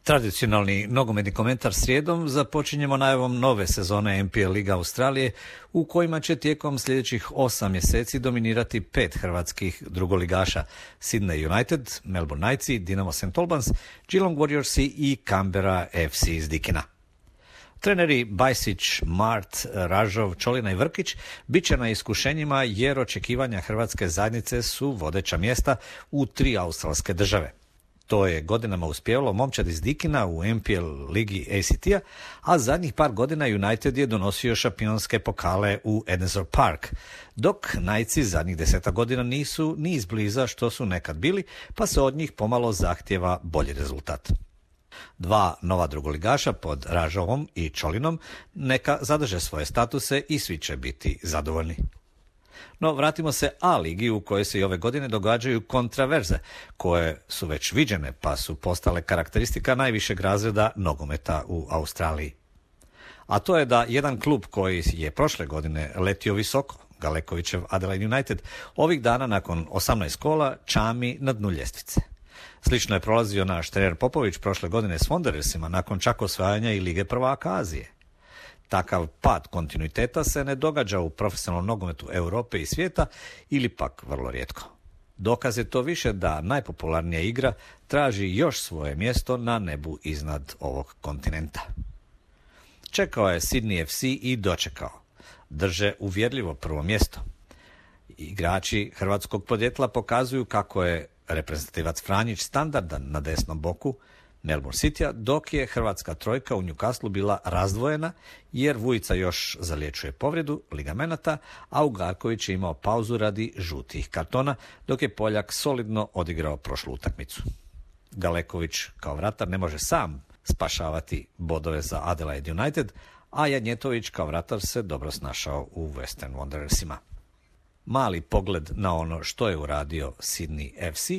Tradicionalni nogometni komentar srijedom započinjemo najavom nove sezone NPL Liga Australije u kojima će tijekom sljedećih 8 mjeseci dominirati 5 hrvatskih drugoligaša: Sydney United, Melbourne Knightsi, Dinamo St. Albans, Geelong Warriorsi i Canberra FC iz Dikina. Treneri Bajsić, Mart, Ražov, Čolina i Vrkić bit će na iskušenjima jer očekivanja hrvatske zajednice su vodeća mjesta u 3 australske države. To je godinama uspjevalo momčad iz Dikina u NPL ligi ACT-a, a zadnjih par godina United je donosio šampionske pokale u Edensor Park, dok Knightsi zadnjih 10 godina nisu ni izbliza što su nekad bili, pa se od njih pomalo zahtjeva bolji rezultat. 2 nova drugoligaša pod Ražovom i Čolinom neka zadrže svoje statuse i svi će biti zadovoljni. No, vratimo se A ligi u kojoj se i ove godine događaju kontraverze, koje su već viđene pa su postale karakteristika najvišeg razreda nogometa u Australiji. A to je da jedan klub koji je prošle godine letio visoko, Galekovićev Adelaide United, ovih dana nakon 18 kola čami na dnu ljestvice. Slično je prolazio naš trener Popović prošle godine s Wanderersima nakon čak osvajanja i Lige prvaka Azije. Takav pad kontinuiteta se ne događa u profesionalnom nogometu Europe i svijeta ili pak vrlo rijetko. Dokaz je to više da najpopularnija igra traži još svoje mjesto na nebu iznad ovog kontinenta. Čekao je Sydney FC i dočekao. Drže uvjerljivo prvo mjesto. Igrači hrvatskog podjetla pokazuju kako je reprezentativac Franjić standardan na desnom boku Melbourne Citya, dok je hrvatska trojka u Newcastle bila razdvojena jer Vujica još zaliječuje povredu ligamenata, a Ugarković je imao pauzu radi žutih kartona, dok je Poljak solidno odigrao prošlu utakmicu. Galeković kao vratar ne može sam spašavati bodove za Adelaide United, a Janjetović kao vratar se dobro snašao u Western Wanderersima. Mali pogled na ono što je uradio Sydney FC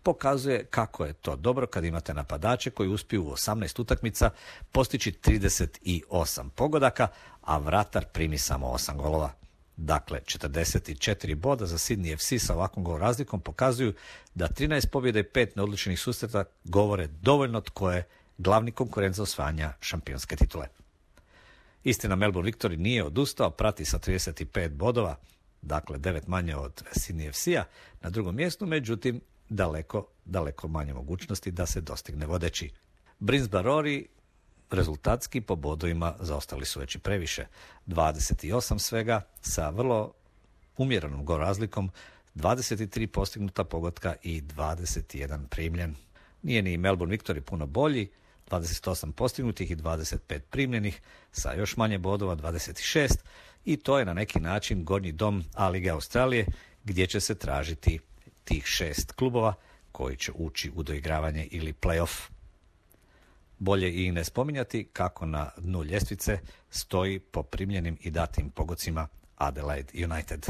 pokazuje kako je to dobro kad imate napadače koji uspiju u 18 utakmica postići 38 pogodaka, a vratar primi samo 8 golova. Dakle, 44 boda za Sydney FC sa ovakvom gol razlikom pokazuju da 13 pobjeda i 5 neodlučenih susreta govore dovoljno tko je glavni konkurent za osvajanja šampionske titule. Istina, Melbourne Victory nije odustao, prati sa 35 bodova, dakle 9 manje od Sydney FC-a na drugom mjestu, međutim daleko manje mogućnosti da se dostigne vodeći. Brisbane Roar rezultatski po bodovima zaostali su već i previše. 28 svega sa vrlo umjerenom gol razlikom, 23 postignuta pogotka i 21 primljen. Nije ni Melbourne Victory puno bolji, 28 postignutih i 25 primljenih sa još manje bodova, 26, i to je na neki način gornji dom A lige Australije gdje će se tražiti tih 6 klubova koji će ući u doigravanje ili play-off. Bolje i ne spominjati kako na dnu ljestvice stoji po primljenim i datim pogodcima Adelaide United.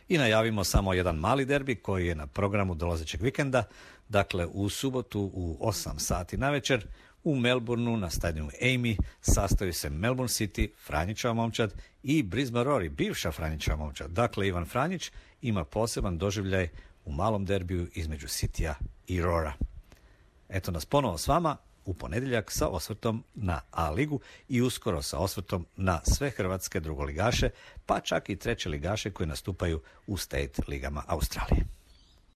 I najavimo samo jedan mali derbi koji je na programu dolazećeg vikenda, dakle u subotu u 8 sati navečer u Melbourneu na stadionu Amy sastaju se Melbourne City, Franjićeva momčad, i Brisbane Roar, bivša Franjićeva momčad. Dakle, Ivan Franjić ima poseban doživljaj u malom derbiju između Citya i Roara. Eto nas ponovo s vama u ponedjeljak sa osvrtom na A ligu i uskoro sa osvrtom na sve hrvatske drugoligaše, pa čak i treće ligaše koji nastupaju u State ligama Australije.